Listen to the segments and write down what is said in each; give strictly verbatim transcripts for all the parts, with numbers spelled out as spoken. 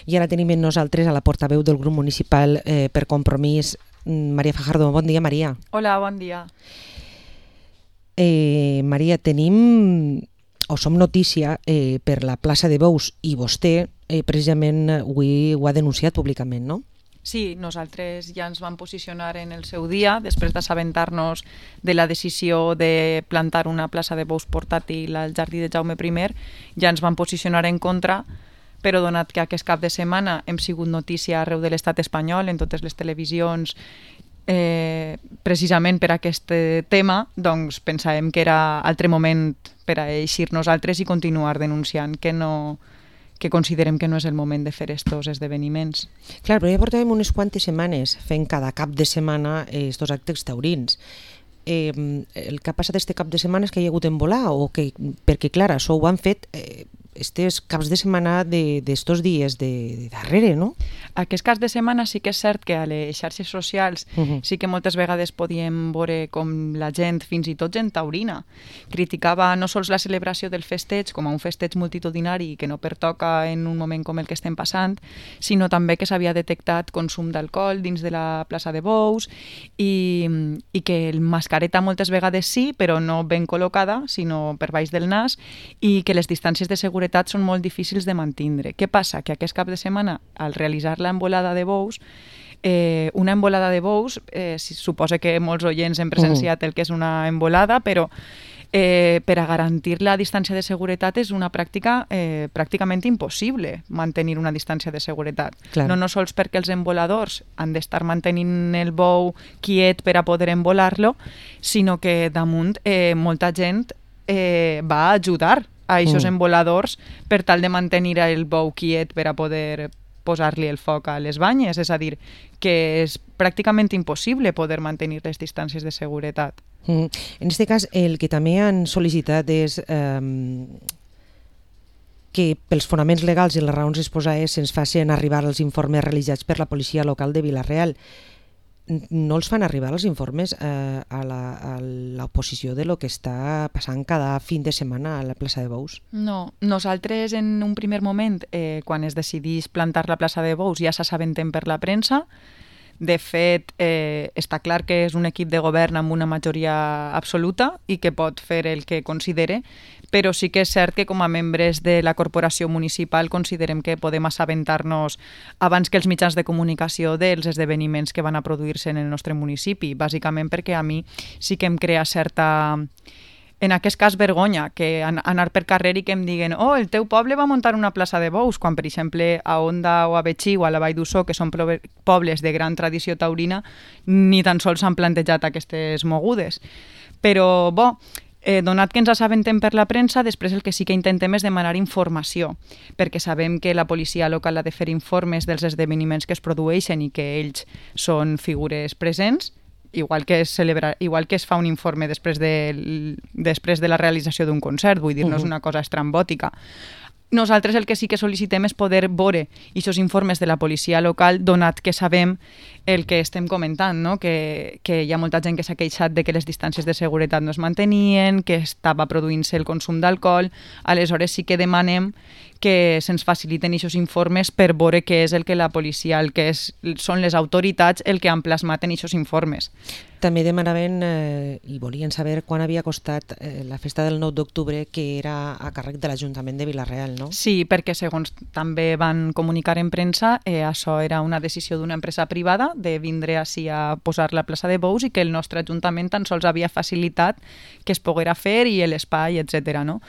I ara tenim amb nosaltres a la portaveu del grup municipal eh, per Compromís, Maria Fajardo. Bon dia, Maria. Hola, bon dia. Eh, Maria, tenim o som notícia eh, per la plaça de Bous i vostè eh, precisament avui ho ha denunciat públicament, no? Sí, nosaltres ja ens vam posicionar en el seu dia, després d'assabentar-nos de la decisió de plantar una plaça de bous portàtil al jardí de Jaume primer, ja ens vam posicionar en contra, però donat que aquest cap de setmana hem sigut notícia arreu de l'estat espanyol, en totes les televisions, eh, precisament per aquest tema, doncs pensàvem que era altre moment per a eixir nosaltres i continuar denunciant que no... que considerem que no és el moment de fer estos esdeveniments. Clar, però ja portàvem unes quantes setmanes fent cada cap de setmana estos actes taurins. Eh, el que ha passat este cap de setmana és que hi ha hagut en volar, o que, perquè clar, això ho han fet eh, estes caps de setmana d'estos de, dies de, de darrere, no? Aquest cas de setmana sí que és cert que a les xarxes socials uh-huh. sí que moltes vegades podíem veure com la gent, fins i tot gent taurina, criticava no sols la celebració del festeig com a un festeig multitudinari que no pertoca en un moment com el que estem passant, sinó també que s'havia detectat consum d'alcohol dins de la plaça de Bous i, i que el mascareta moltes vegades sí, però no ben col·locada, sinó per baix del nas, i que les distàncies de seguretat són molt difícils de mantindre. Què passa? Que aquest cap de setmana, al realitzar la embolada de bous, eh, una embolada de bous, eh, suposa que molts oients hem presenciat el que és una embolada, però eh, per a garantir la distància de seguretat és una pràctica eh, pràcticament impossible mantenir una distància de seguretat. Clar. No, no sols perquè els emboladors han d'estar mantenint el bou quiet per a poder embolar-lo, sinó que damunt eh, molta gent eh, va a ajudar a aquests mm. emboladors per tal de mantenir el bou quiet per a poder posar-li el foc a les banyes, és a dir, que és pràcticament impossible poder mantenir les distàncies de seguretat. Mm. En aquest cas, el que també han sol·licitat és eh, que pels fonaments legals i les raons exposades se'ns facin arribar els informes realitzats per la policia local de Vila-real. No els fan arribar els informes eh, a l'oposició de lo que està passant cada fin de setmana a la plaça de Bous? No, nosaltres en un primer moment, eh, quan es decidís plantar la plaça de Bous, ja s'assabentem per la premsa. De fet, eh, està clar que és un equip de govern amb una majoria absoluta i que pot fer el que considere, però sí que és cert que com a membres de la corporació municipal considerem que podem assabentar-nos abans que els mitjans de comunicació dels esdeveniments que van a produir-se en el nostre municipi, bàsicament perquè a mi sí que em crea certa... En aquest cas, vergonya, que anar per carrer i que em diguen oh, el teu poble va muntar una plaça de bous, quan, per exemple, a Onda o a Betxí o a la Vall d'Ussó, que són pobles de gran tradició taurina, ni tan sols s'han plantejat aquestes mogudes. Però, bo, eh, donat que ens assabentem per la premsa, després el que sí que intentem és demanar informació, perquè sabem que la policia local ha de fer informes dels esdeveniments que es produeixen i que ells són figures presents, igual que es celebra, igual que es fa un informe després de, després de la realització d'un concert, vull dir, no és una cosa estrambòtica. Nosaltres el que sí que sol·licitem és poder veure aquests informes de la policia local, donat que sabem el que estem comentant, no? que, que hi ha molta gent que s'ha queixat de que les distàncies de seguretat no es mantenien, que estava produint-se el consum d'alcohol, aleshores sí que demanem que se'ns faciliten aquests informes per veure què és el que la policia, el que és, són les autoritats el que han plasmat en aquests informes. També demanaven eh, i volien saber quan havia costat eh, la festa del nou d'octubre, que era a càrrec de l'Ajuntament de Vila-real, no? Sí, perquè segons també van comunicar en premsa, eh, això era una decisió d'una empresa privada de vindre així a posar la plaça de Bous i que el nostre Ajuntament tan sols havia facilitat que es poguera fer i l'espai, etcètera, no?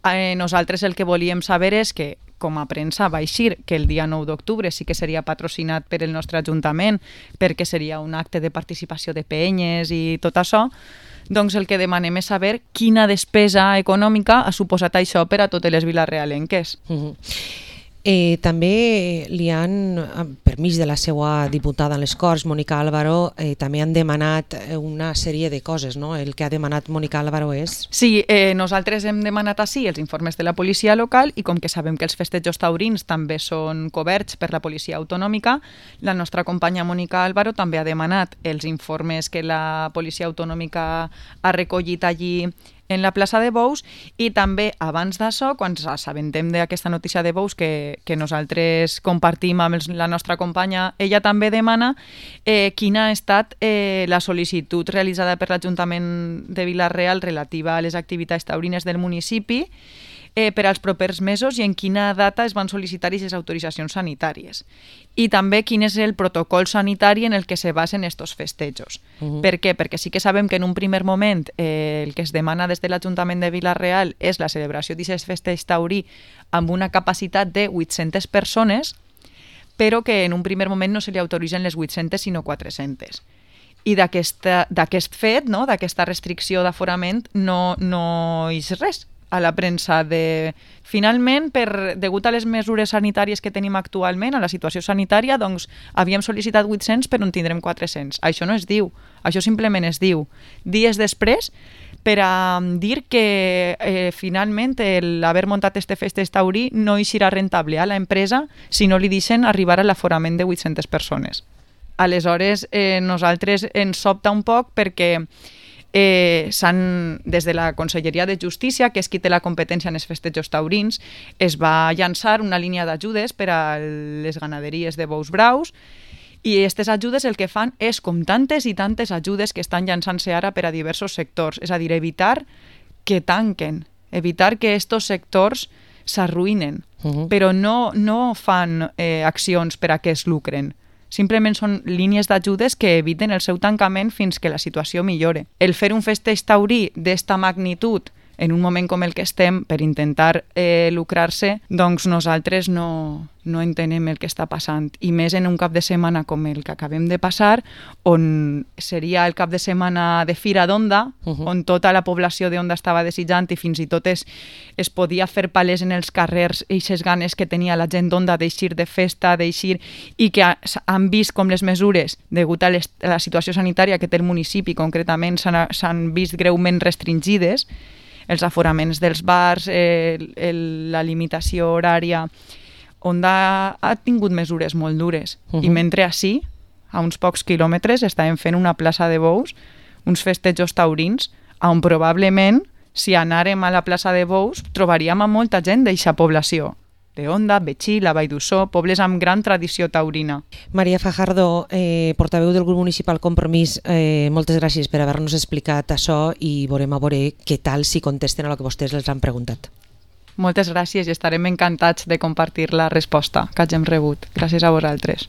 Eh, nosaltres el que volíem saber és que, com a premsa va eixir que el dia nou d'octubre sí que seria patrocinat per el nostre Ajuntament perquè seria un acte de participació de penyes i tot això, doncs el que demanem és saber quina despesa econòmica ha suposat això per a totes les vilarealenques. Mm-hmm. Eh, també li han, per mig de la seva diputada en les Corts, Mònica Álvaro, eh, també han demanat una sèrie de coses, no? El que ha demanat Mònica Álvaro és... Sí, eh, nosaltres hem demanat així els informes de la policia local i com que sabem que els festejos taurins també són coberts per la policia autonòmica, la nostra companya Mònica Álvaro també ha demanat els informes que la policia autonòmica ha recollit allí en la plaça de Bous, i també abans d'això, quan ens assabentem d'aquesta notícia de Bous que, que nosaltres compartim amb els, la nostra companya, ella també demana eh, quina ha estat eh, la sol·licitud realitzada per l'Ajuntament de Vila-real relativa a les activitats taurines del municipi eh, per als propers mesos i en quina data es van sol·licitar aquestes autoritzacions sanitàries. I també quin és el protocol sanitari en el que se basen estos festejos. Uh-huh. Per què? Perquè sí que sabem que en un primer moment eh, el que es demana des de l'Ajuntament de Vila-real és la celebració d'aquest festeig taurí amb una capacitat de vuit-centes persones, però que en un primer moment no se li autoritzen les vuit-centes sinó quatre-centes. I d'aquest fet, no, d'aquesta restricció d'aforament, no, no és res a la premsa de... Finalment, per, degut a les mesures sanitàries que tenim actualment, a la situació sanitària, doncs havíem sol·licitat vuit-cents però en tindrem quatre-cents. Això no es diu, això simplement es diu. Dies després, per a dir que eh, finalment l'haver muntat este festeig taurí no hi serà rentable a l'empresa si no li deixen arribar a l'aforament de vuit-centes persones. Aleshores, eh, nosaltres ens sobta un poc perquè Eh, des de la Conselleria de Justícia, que és qui té la competència en els festejos taurins, es va llançar una línia d'ajudes per a les ganaderies de bous braus i aquestes ajudes el que fan és, com tantes i tantes ajudes que estan llançant-se ara per a diversos sectors, és a dir, evitar que tanquen, evitar que aquests sectors s'arruïnen, uh-huh. però no, no fan eh, accions per a que es lucren. Simplement són línies d'ajudes que eviten el seu tancament fins que la situació millore. El fer un festeig taurí d'esta magnitud en un moment com el que estem per intentar eh, lucrar-se, doncs nosaltres no, no entenem el que està passant. I més en un cap de setmana com el que acabem de passar, on seria el cap de setmana de Fira d'Onda, uh-huh. on tota la població d'Onda estava desitjant i fins i tot es, es podia fer palès en els carrers eixes ganes que tenia la gent d'Onda d'eixir de festa, d'eixir, i que han vist com les mesures, degut a, les, a la situació sanitària que té el municipi concretament, s'han vist greument restringides, els aforaments dels bars, eh, el, la limitació horària, Onda ha tingut mesures molt dures. Uh-huh. I mentre així, a uns pocs quilòmetres, estàvem fent una plaça de bous, uns festejos taurins, on probablement, si anàrem a la plaça de bous, trobaríem a molta gent d'eixa població. De Onda, Betxí, la Vall d'Ussó, pobles amb gran tradició taurina. Maria Fajardo, eh, portaveu del grup municipal Compromís, eh, moltes gràcies per haver-nos explicat això i veurem a veure què tal si contesten a lo que vostès els han preguntat. Moltes gràcies i estarem encantats de compartir la resposta que hagin rebut. Gràcies a vosaltres.